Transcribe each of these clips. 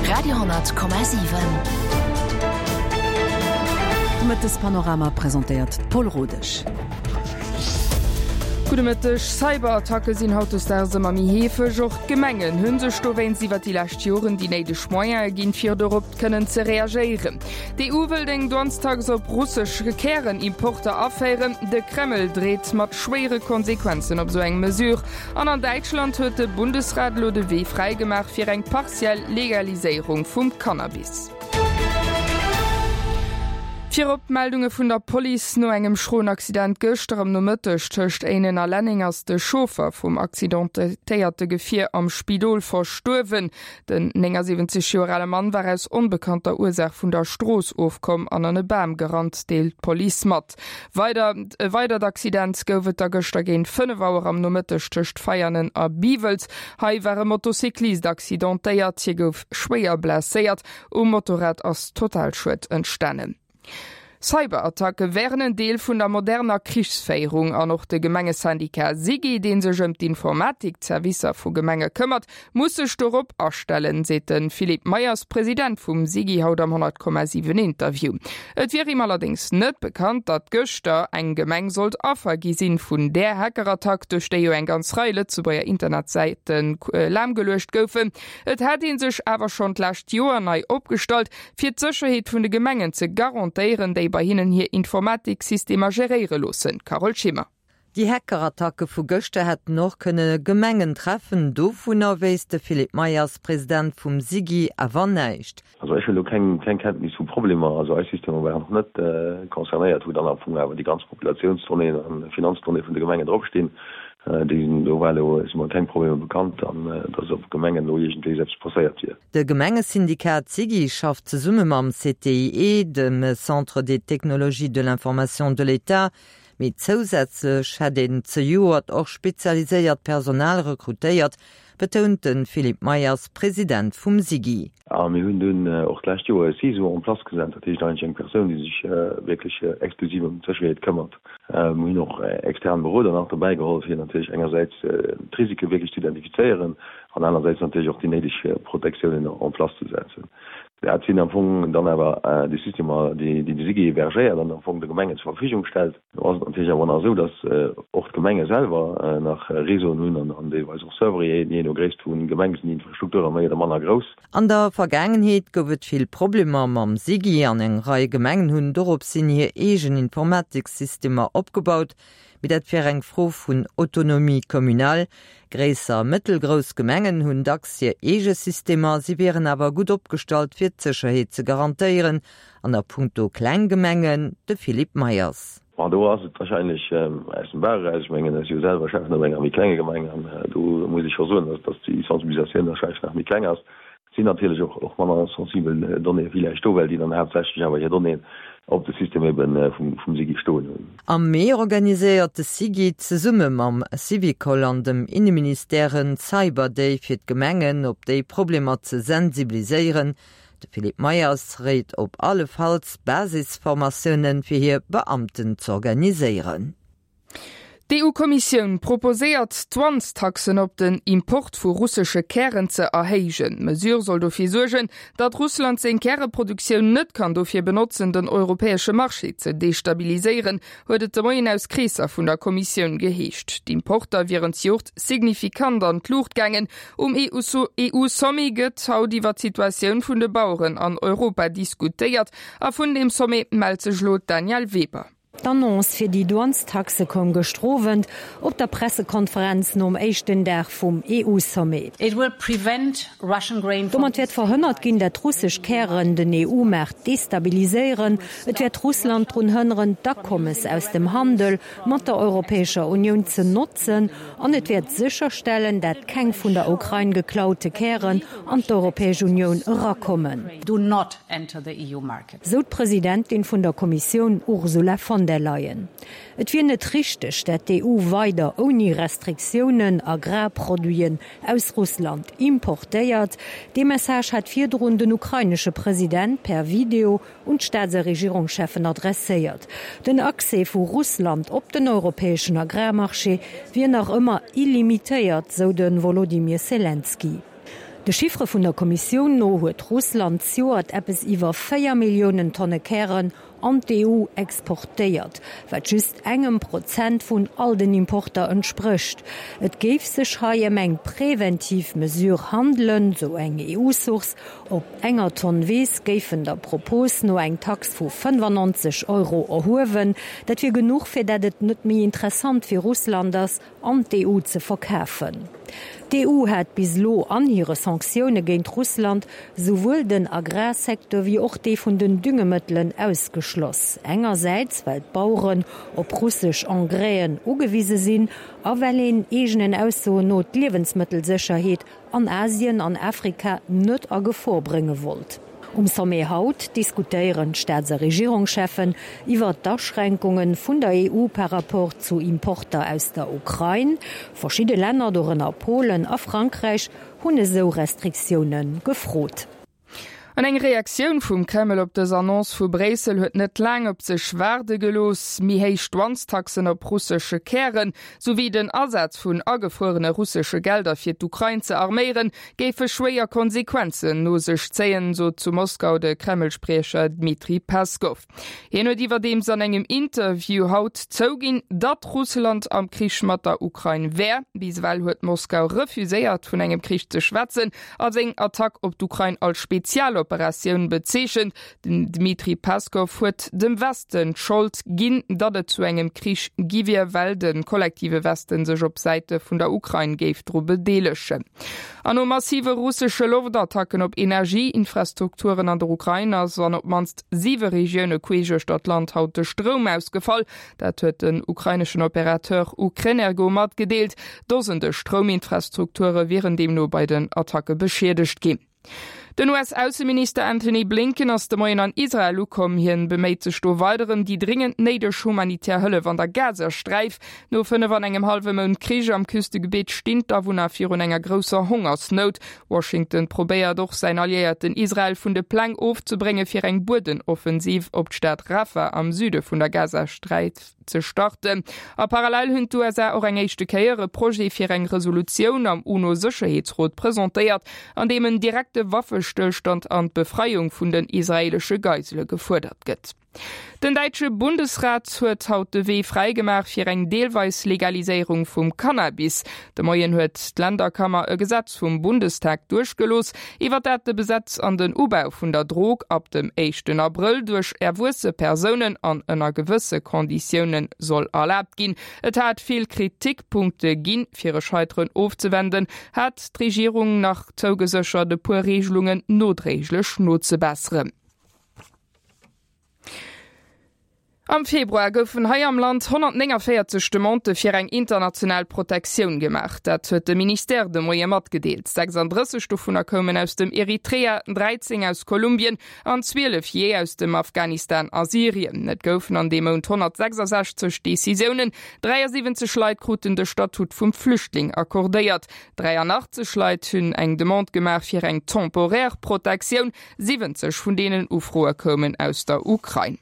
Radio,7. De Mëttespanorama presentéiert d'Paul Rodesch. Gudde Mëtteg. Cyberattacke sinn hautdesdaags ëmmer méi heefeg. Och d'Gemengen hu sech dowéinst iwwer déi lescht Joren déi néideg Moyene ginn, fir dorop kënnen ze reagéieren. D'EU wëllt eng Douanestax op russesch Kärenimporter aféieren. De Kreml dreet mat schwéiere Konsequenzen op esou eng Mesure. An an Däitschland huet de Bundesrat elo de Wee fräi gemaach fir eng partiell Legaliséierung vum Cannabis. Virop d'Meldunge vun der Police no engem schroen Accident gëschter am Nomëtteg tëscht Éinen a Lenneng ass de Chauffer vum accidentéierte Gefier am Spidol verstuerwen. Den 79 Joer ale Mann war aus onbekannter Ursaach vun der Strooss ofkomm an an e Bam gerannt, deelt d'Police mat. Weider E weidert Accident gouf et da gëschter géint 5 Auer am Nomëtteg tëscht Veianen a Biwels. Hei war e Motocyclist accidentéiert, hie gouf schwéier blesséiert. Um Motorrad ass Totalschued entstanen. Cyberattacke wären en Deel vun der moderner Krichsféierung an och de Gemengesyndicat SIGI, dee sech ëm d'Informatik-Zerwisser vu Gemenge këmmert, muss sech dorop astellen, seet de Philippe Meyers, President vum SIGI haut am 100,7 Interview. Et wier him allerdéngs net bekannt, datt gëschter eng Gemeng sollt Affer gi sinn vun där Hackerattack, duerch déi jo eng ganz Rei Lëtzebuerger Internetsäite lahmgeluecht goufen. Et hätt ee sech awer schonn d'lescht Joer nei opgestallt, fir d'Sécherheet vun de Gemengen ze garantéieren, déi bei hinnen hir Informatiksystemer geréiere loossen. Carole Schimmer. Déi Hackerattacke vu gëschter hätten och kënne Gemengen treffen. Dovunner wéisst de Philippe Meyers, President vum SIGI, awer näischt. Also ech hunn elo keng Kenntnis vu Problemer. Also eis Systemer waren och net concernéiert, wou dann am Fong awer déi ganz Populatiounsdonnéeën an Finanzdonnéeë vun de Gemengen dropstinn. Déi sinn do war elo, si mer keng Problemer bekannt an dass op Gemengen elo iergendwéi eppes passéiert wier. De Gemengesyndikat SIGI schafft zesumme mam CTIE, dem Centre des technologies de l'information de l'État, mee zousätzlech hätt een zejoert och spezialiséiert Personal rekrutéiert, betount de Philippe Meyers, President vum SIGI. A mir hunn dunn och d'lescht Joer e CISO en place gesat, dat heescht eigentlech eng Persoun, déi sech wierklech exklusiv ëm d'Sécherheet këmmert. Mir hunn och extern Beroder nach dobäi geholl, fir natierlech engersäits d'Risike wierklech ze identifizéieren an anersäits natierlech och déi néideg Protektiounen en place ze setzen. Dat sinn am Fong dann awer déi Systemer, déi de SIGI hébergéiert an am Fong de Gemengen zur Verfügung stellt. Do ass et natierlech awer nach esou, dass och d'Gemenge selwer nach Réseauen hunn an deelweis och Servere, jee no Gréisst vu Gemeng sinn déi Infrastrukture méi oder manner grouss. An der Vergaangenheet gouf et vill Problemer mam SIGI an eng Rei Gemengen hunn doropshin hir eegen Informatiksystemer opgebaut. Mee dat wär eng Fro vun Autonomie communale. Gréisser a mëttelgrouss Gemengen hunn dacks hir eege Systemer, si wieren awer gutt opgestallt fir d'Sécherheet ze garantéieren. An a punkto kleng Gemengen, de Philippe Meyers. Bon, do ass et wahrscheinlech aus dem Bauch eraus. Ech mengen, ech si jo selwer Schäffen op enger méi klenge Gemeng an do muss ech scho soen, dass déi Sensibilisatioun wahrscheinlech nach méi kleng ass. Sinn natierlech och och manner sensibel Donnéeë villäicht do, well déi dann haaptsächlech awer hir Donnéeën op de System ebe vum vum SIGI stoen hunn. Am Mee organiséiert de SIGI zesumme mam Syvicol an dem Inneministère en Cyber Day fir d'Gemengen op déi Problemer ze sensibiliséieren. De Philippe Meyers réit op alle Falls Basisformatiounen fir hir Beamten z'organiséieren. D'EU-Kommissioun proposéiert, d'Douanestaxen op den Import vu russesche Kären ze erhéijen. D'Mesure soll dofir suergen, datt Russland seng Käreproduktioun net kann dofir benotzen, den europäesche Marché ze destabiliséieren, huet et de Moien aus Kreesser vun der Kommissioun geheescht. D'Importer wieren zejoert signifikant an d'Luucht gaangen. Um EU-Sommet gëtt haut iwwer d'Situatioun vun de Baueren an Europa diskutéiert. A vun deem Sommet mellt sech elo d'Danièle Weber. D'Annonce fir déi Douanestaxe koum gëschter Owend op der Pressekonferenz nom éischten Dag vum EU-Sommet. Domat wäert verhënnert ginn, dat russesch Kären den EU-Maart destabiliséieren. Et wäert Russland drun hënneren, d'Akommes aus dem Handel mat der Europäescher Unioun ze notzen an et wäert sécherstellen, dat keng vun der Ukrain geklaute Kären an d'Europäesch Unioun erakommen. Sou d'Presidentin vun der Kommissioun Ursula von der Leyen. Et wier net richteg, dat d'EU weider ouni Restriktiounen Agrarproduiten aus Russland importéiert. Dee Message hat virdrun den ukrainesche President per Video un d'Staats a Regierungscheffen adresséiert. Den Accès vu Russland op den europäeschen Agrarmarché wier nach ëmmer illimitéiert, sou de Wolodymyr Selenskyj. De Chiffere vun der Kommissioun no huet Russland zejoert eppes iwwer 4 Milliounen Tonne Kären an d'EU exportéiert, wat just engem Prozent vun all den Importer entsprécht. Et géif sech hei ëm eng präventiv Mesure handelen, sou eng EU-Source. Op enger Tonn Weess géifen der Propos no eng Tax vu 95 Euro erhuewen. Dat wier genuch, fir dat et net méi interessant fir Russland ass, an d'EU ze verkafen. D'EU hat bis elo an hire Sanktioune géint Russland souwuel den Agrarsecteur wéi och dee vun den Düngemëttelen ausgeschloss. Engersäits well d'Baueren op russesch Engraisen ugewise sinn a well een eegenen Aussoen no d'Liewensmëttelsécherheet an Asien an Afrika net a Gefor brénge wollt. Um Sommet haut diskutéieren d'Staats a Regierungscheffen iwwer d'Aschränkunge vun der EU par rapport zu Importer aus der Ukrain. Verschidde Länner, dorënner Polen a Frankräich, hunn esou Restriktioune gefrot. An eng Reaktioun vum Kreml op dës Annonce vu Bréissel huet net laang op sech waarde gelooss. Méi héich Douanestaxen op russesche Kären, souwéi den Asaz vun agefruerene russesche Gelder fir d'Ukrain ze arméieren, géife schwéier Konsequenzen no sech zéien, sot zu Moskau de Kreml-Spriecher Dmitri Peskow. Hien huet iwwerdeems an engem Interview haut zouginn, datt Russland am Krich mat der Ukrain wär. Bis ewell huet Moskau refuséiert, vun engem Krich ze schwätzen a seng Attack op d'Ukrain als Spezialoperatioun bezeechent. Den Dmitri Peskow huet dem Westen d'Schold ginn, datt et zu engem Krich gi wier, well de kollektive Westen sech op Säite vun der Ukrain géif dru bedeelegen. An no massive russesche Loftattacken op Energieinfrastrukturen an der Ukrain ass an op d'mannst siwe Regioune queesch uechter d'Land haut de Stroum ausgefall. Dat huet den ukraineschen Operateur Ukrenergo matgedeelt. Dosende Strouminfrastrukture wieren deemno bei den Attacke beschiedegt ginn. Den US-Ausseminister Antony Blinken ass de Moien an Israel ukomm. Hien beméit sech do weider ëm déi dringend néideg humanitär Hëllef an der Gazasträif. No 5 an engem hallwe Mount Krich am Küstegebitt stinn d'Awunner virun enger grousser Hongersnout. Washington probéiert och säin Alliéierten Israel vun de Pläng ofzebrénge fir eng Buedenoffensiv op d'Stad Rafah am Süde vun der Gazasträif ze starten. A parallel hunn d'USA och eng éischte Kéier e Projet fir eng Resolutioun am UNO-Sécherheetsrot presentéiert, an deem en direkte Waffestëllstand an d'Befreiung vun den israeelesche Geisele gefuerdert gëtt. Den däitsche Bundesrat huet haut de Wee fräi gemaach fir eng deelweis Legaliséierung vum Cannabis. De Moien huet d'Länderkammer e Gesetz vum Bundestag duerchgelooss, iwwer dat de Besetz an den Ubau vun der Drog ab dem éischten Abrëll duerch erwuesse Persounen an ënner gewësse Konditioune soll erlaabt ginn. Et hat vill Kritikpunkte ginn. Fir e Scheiteren ofzewenden, hat d'Regierung nach zougeséchert, e puer Reegelungen nodréiglech nozebesseren. Am Februar goufen hei am Land 149 Demandë fir eng international Protektioun gemaach. Dat huet de Ministère de Moie matgedeelt. 36 dovunner koumen aus dem Eritrea, 13 aus Kolumbien an 12 jee aus dem Afghanistan a Syrien. Et goufen an deem Mount 166 Decisiounen, 73 Leit kruten de Statut vum Flüchtling accordéiert, 83 Leit hunn eng Demande gemaach fir eng temporaire Protektioun, 70 vun deenen Ufroe koumen aus der Ukrain.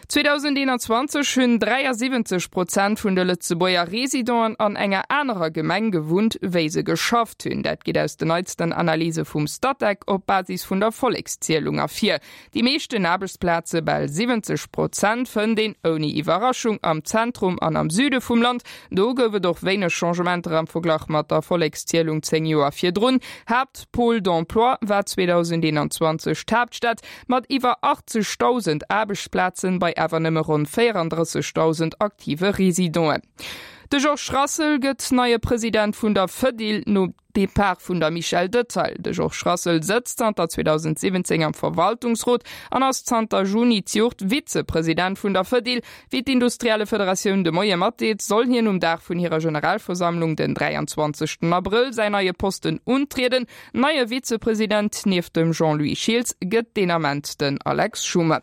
2021 hunn 73 Prozent vun de Lëtzebuerger Residenten an enger anerer Gemeng gewunnt, wéi se geschafft hunn. Dat geet aus den neitsten Analyse vum Statec op Basis vun der Vollekszielung ervir. Déi meeschten Aarbechtsplaze, bal 70 Prozent, fënnt een ouni Iwwerraschung am Zentrum an am Süde vum Land. Do gouf et och wéineg Changementer am Verglach mat der Vollekszielung 10 Joer virdrun. Haapt. Pôle d'emploi war 2021 d'Haaptstad mat iwwer 80.000 Aarbechtsplazen bei awer nëmme ronn 34.000 aktive Residenten. De Georges Rassel gëtt neie President vun der Fedil nom Depart vun der Michèle Detaille. De Georges Rassel sëtzt zanter 2017 am Verwaltungsrot an ass zanter Juni d'Joert Vizepresident vun der Fedil. Wéi d'Industriellefederatioun de Moie matdeelt, soll hien um Dag vun hirer Generalversammlung den 23 Abrëll säin neie Posten untrieden. Neie Vizepresident nieft dem Jean-Louis Schiltz gëtt deen Ament den Alex Schuman.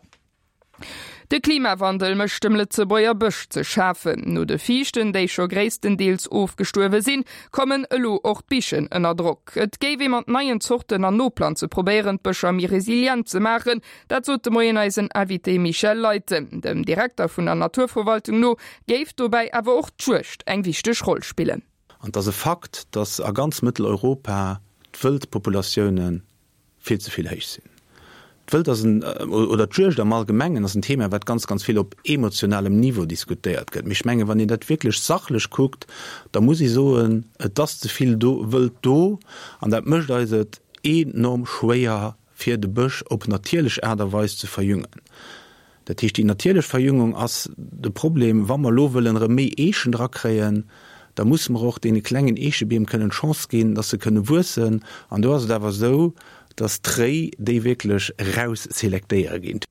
De Klimawandel mécht dem Lëtzebuerger Bësch ze schafen. No de Fiichten, déi scho gréisstendeels ofgestuerwe sinn, kommen elo och d'Bichen ënner Drock. Et géif ee mat neien Zorten an Noplanze probéieren, d'Bëscher méi resilient ze maachen. Dat sot de Moien eisen Invité Michel Leytem. Dem Direkter vun der Naturverwaltung no géif dobäi awer och d'Juegd eng wichteg Roll spillen. An et ass e Fakt, datt a ganz Mëtteleuropa. d'Wëldpopulatioune vill ze vill héich sinn. D'Wëld ass en, oder d'Juegd am Allgemengen ass en Thema, wat ganz, ganz vill op emotionalem Niveau diskutéiert gëtt. Mee ech mengen, wann een dat wierklech sachlech kuckt, da muss ee soen, et ass ze vill do, Wëld do an dat mécht eis et enorm schwéier, fir de Bësch op natierlech Aart a Weis ze verjüngen. Dat heescht, déi natierlech Verjüngung ass de Problem. Wa mer elo wëllen erëm méi Eechen drakréien, da musse mer och deene klengen Eechebeem kënnen d'Chance ginn, dass se kënne wuessen. An do ass et awer esou, dass d'Réi déi wierklech erausselektéiere ginn.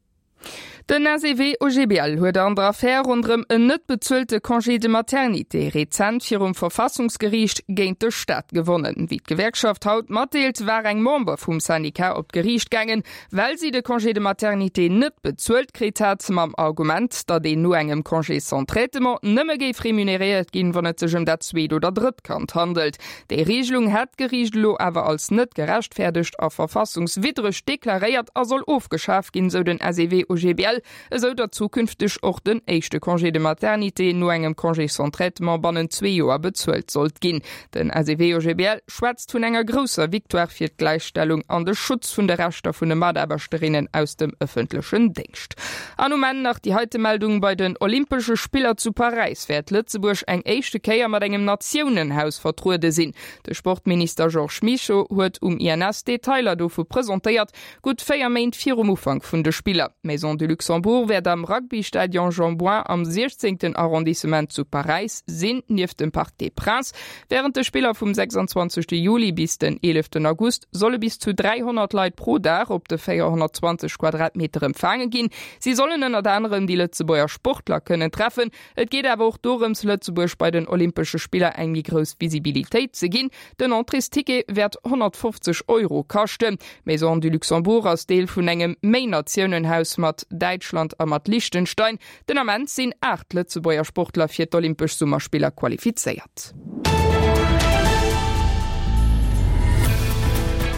Den SEW-OGBL huet an der Affär ronderëm en net bezuelte Congé de maternité rezent virum Verfassungsgeriicht géint de Staat gewonnen. Wéi d'Gewerkschaft haut matdeelt, war eng Member vum Syndicat op d'Geriicht gaangen, Well si de Congé de maternité net bezuelt kritt hat, mam Argument, datt een no engem Congé sans traitement nëmme géif remuneréiert ginn, wann et sech ëm dat zweet oder drëtt Kand handelt. Déi Regelung hätt d'Geriicht elo awer als net gerechtfäerdegt a verfassungswiddreg deklaréiert a soll ofgeschaf ginn, sou den SEW-OGBL. esou datt zukünfteg och den éischte Congé de maternité no engem Congé sans traitement bannent zwee Joer bezuelt sollt ginn. Den SEW-OGBL schwätzt vun enger grousser Victoire fir d'Gläichstellung an de Schutz vun de Rechter vun de Mataarbechterinnen aus dem ëffentlechen Déngscht. An um Enn nach déi heite Meldung, Bei den Olympesche Spiller zu Paräis wäert Lëtzebuerg eng éischte Kéier mat engem Natiounenhaus vertruede sinn. De Sportminister Georges Mischo huet um INS Detailer dovu presentéiert. Gutt 4 Méint virum Ufank vun de Spiller. D'Maison du Luxembourg wäert am Rugby-Stadion Jean Bouin am 16. Arrondissement zu Paräis sinn, nieft dem Parc des Princes. Wärend de Spiller vum 26. Juli bis den 11. August solle bis zu 300 Leit pro Dag op de 420 Quadratmeter empfaange ginn. Si sollen ënnert anerem déi Lëtzebuerger Sportler kënnen treffen. Et geet awer och dorëms, Lëtzebuerg bei den Olympesche Spiller eng méi grouss Visibilitéit ze ginn. Den Entréesticket wäert 150 Euro kaschten. D'Maison du Luxembourg ass Deel vun engem Méi-Natiounen-Haus mat Däitschland a mat Liechtenstein. Den Ament sinn 8 Lëtzebuerger Sportler fir d'Olympesch Summerspiller qualifizéiert.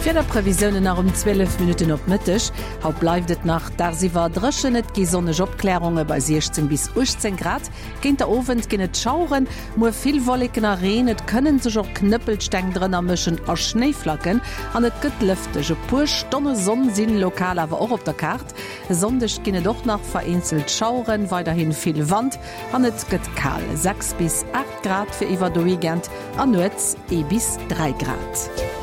D'Wiederprevisiounen nach um 12 Minutten op Mëtteg. Haut bleift et nach dagsiwwer dréchen, et gi sonneg Opklärunge bei 16 bis 18 Grad. Géint der Owend ginn et Schaueren, muer vill Wolleken a Reen, et kënnen sech och Knëppelsteng drënner mëschen a Schnéiflacken an et gëtt lëfteg. E puer Stonne Sonn sinn lokal awer och op der Kaart. E Sonndeg ginn et och nach vereenzelt Schaueren, weiderhi vill Wand an et gëtt kal, 6 bis 8 Grad fir iwwer de Weekend a nuets ee bis 3 Grad.